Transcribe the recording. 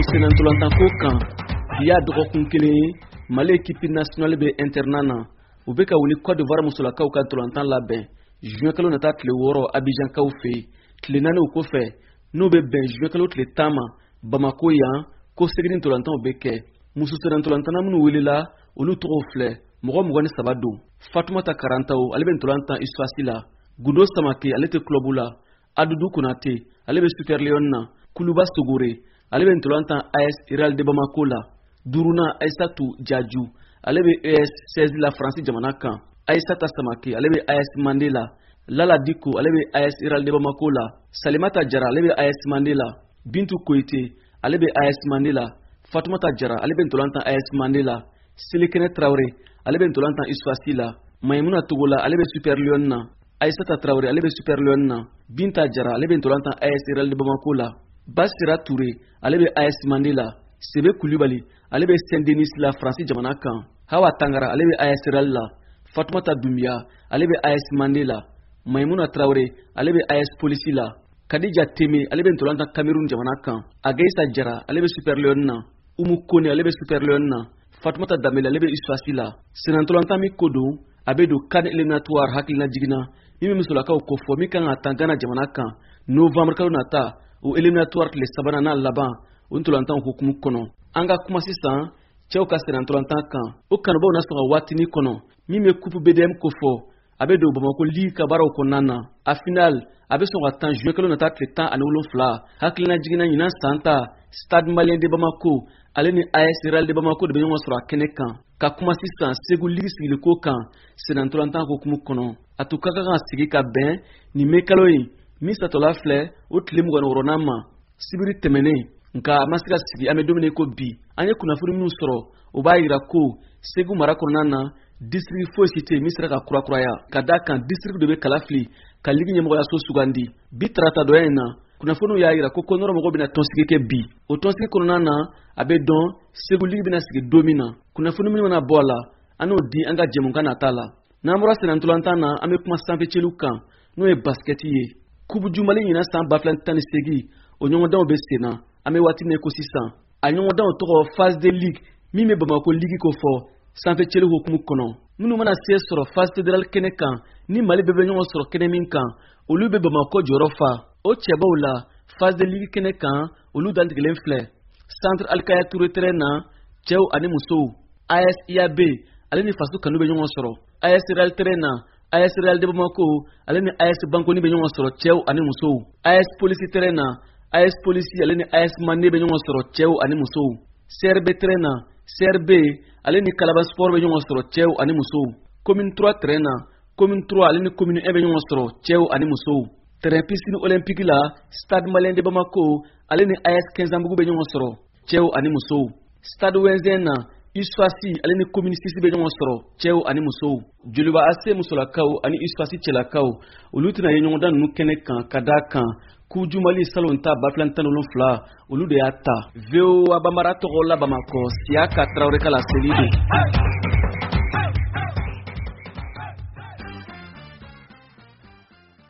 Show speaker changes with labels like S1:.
S1: Sennantolatanko kan, bi y'a dɔgɔkun kelen ye Mali équipe nationale bɛ internat na. U bɛ ka u ni Côte d'Ivoire musolakaw ka ntolantan labɛn juin kalo nata tile 6 Abidjankaw fɛ yen. Tile 4 o kɔfɛ, n'o bɛ bɛn juin kalo tile 10 ma, Bamako yan, ko segin ntolantanw bɛ kɛ. Muso sennantolatanna minnu welela, olu tɔgɔw filɛ: mɔgɔ 23 don. Fatumata Karantaw, ale bɛ ntolan tan USFAS la. Gundo Samake, ale tɛ club la. Adudu Konate, ale bɛ Super Leon na. Kuluba Sogore, ale bɛ ntolan tan AS Real de Bamako la. Duurunan, Aisatu Jaju, ale bɛ ES 16 la Faransi jamana kan. Aisata Samake, ale bɛ AS Mande la. Lala Diko, ale bɛ AS Real de Bamako la. Salimata Jara, ale bɛ AS Mande la. Bintu Koyite, ale bɛ AS Mande la. Fatumata Jara, ale bɛ ntolan tan AS Mande la. Selikɛnɛ Tarawele, ale bɛ ntolan tan USFAS la. Mayimuna Togola, ale bɛ Super Leon na. Aisata Tarawele, ale bɛ Super Leon na. Binta Jara, ale bɛ ntolan tan AS Real de Bamako la. Basira Toure, ale bɛ AS Mande la. Sebe Kulibali, ale bɛ Saint Denis la Faransi jamana kan. Hawa Tangara, ale bɛ AS Real la. Fatumata Dumbiya, ale bɛ AS Mande la. Maimuna Tarawele, ale bɛ AS Polisi la. Kadija Teme, ale bɛ ntolan tan Cameroun jamana kan. Ageisa Jara, ale bɛ Super Leon na. Umu Kone, ale bɛ Super Leon na. Fatumata Danbele, ale bɛ USFAS la. Sennantolatan min ko don, a bɛ don CAN éliminatoire hakilina jiginna min bɛ musolakaw kofɔ, min kan ka tan Ghana jamana kan novembre kalo nata, o éliminatoire tile sabanan n'a laban, o ntolantanw hukumu kɔnɔ. An ka kuma sisan cɛw ka sennantolatan kan. O kanubaw na sɔn ka waatinin kɔnɔ min bɛ coupe BDM kofɔ, a bɛ don Bamakɔ ligue ka baaraw kɔnɔna na. A final, a bɛ sɔn ka tan juin kalo nata tile 17. Hakilina jiginna, ɲinan san ta, Stade Malien de Bamako ale ni AS Real de Bamako de bɛ ɲɔgɔn sɔrɔ a kɛnɛ kan. Ka kuma sisan Segu ligue sigiliko kan sennantolatan hukumu kɔnɔ, a tun ka kan ka sigi ka bɛn nin mai kalo in min satɔla filɛ, o tile 26nan ma, sibiri tɛmɛnen, nka a ma se ka sigi. An bɛ don min ko bi, an ye kunnafoni minnu sɔrɔ, o b'a yira ko Segu mara kɔnɔna na, district foyi si tɛ yen min sera ka kurakuraya, ka d'a kan district de bɛ kala fili ka ligue ɲɛmɔgɔyaso sugandi. Bi tarata dɔya in na, kunnafoniw y'a yira ko kɔnɔrɔ mɔgɔw bɛna tɔnsigi kɛ bi. O tɔnsigi kɔnɔna na, a bɛ dɔn Segu ligue bɛna sigi don min na. Kunnafoni minnu mana bɔ a la, an n'o di an ka jɛmukan nata la. N'an bɔra sennantolatan na, an bɛ kuma sanfɛceliw kan, n'o ye basikɛti ye. Coupe du Mali ɲinan san 2018, o ɲɔgɔndanw bɛ sen na an bɛ waati min ko sisan. A ɲɔgɔndanw tɔgɔ phase de ligue, min bɛ Bamako ligue ko fɔ sanfɛceli hukumu kɔnɔ. Minnu mana se sɔrɔ phase fédérale kɛnɛ kan, ni Mali bɛɛ bɛ ɲɔgɔn sɔrɔ kɛnɛ min kan, olu bɛ Bamakɔ jɔyɔrɔ fa. O cɛbaw la, phase de ligue kɛnɛ kan, olu dantigɛlen filɛ: Centre Alikaya Touré terrain na, cɛw ani musow, AS IAB ale ni Faso Kanu bɛ ɲɔgɔn sɔrɔ. AS Real terrain na, AS Real de Bamako ale ni AS Bankoni bɛ ɲɔgɔn sɔrɔ, cɛw ani musow. AS Polisi terrain na, AS Polisi ale ni AS Mande bɛ ɲɔgɔn sɔrɔ, cɛw ani musow. CRB terrain na, CRB ale ni Kalaban Sport bɛ ɲɔgɔn sɔrɔ, cɛw ani musow. Commune 3 terrain na, Commune 3 ale ni Commune 1 bɛ ɲɔgɔn sɔrɔ, cɛw ani musow. Terrain piscine olympique la, Stade Malien de Bamako ale ni AS Kɛnzanbugu bɛ ɲɔgɔn sɔrɔ, cɛw ani musow. Stade Wɛnzɛn na, USFAS ale ni Commune 6 bɛ ɲɔgɔn sɔrɔ, cɛw ani musow. Joliba AC musolakaw ani USFAS cɛlakaw, olu tɛna ye ɲɔgɔndan ninnu kɛnɛ kan, ka d'a kan Coupe du Mali salon ta 2017, olu de y'a ta. VOA Bambara tɔgɔ la Bamakɔ, Siyaka Tarawele ka laseli don.